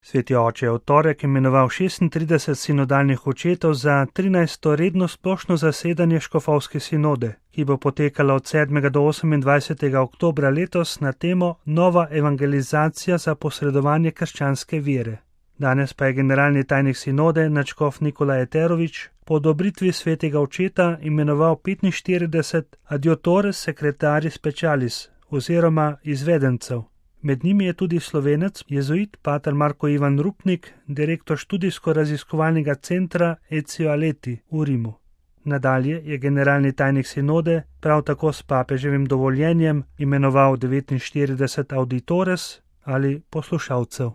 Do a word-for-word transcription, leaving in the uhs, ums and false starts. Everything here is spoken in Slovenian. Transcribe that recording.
Sveti oče je v torek imenoval šestintrideset sinodalnih očetov za trinajsto redno splošno zasedanje škofovske sinode, ki bo potekala od sedmega do osemindvajsetega oktobra letos na temo Nova evangelizacija za posredovanje krščanske vere. Danes pa je generalni tajnik sinode nadškof Nikolaj Eterović po odobritvi svetega očeta imenoval petinštirideset adiutores secretaris specialis oziroma izvedencev. Med njimi je tudi Slovenec, jezuit pater Marko Ivan Rupnik, direktor študijsko-raziskovalnega centra Ezio Aleti v Rimu. Nadalje je generalni tajnik sinode prav tako s papeževim dovoljenjem imenoval devetinštirideset auditores ali poslušalcev.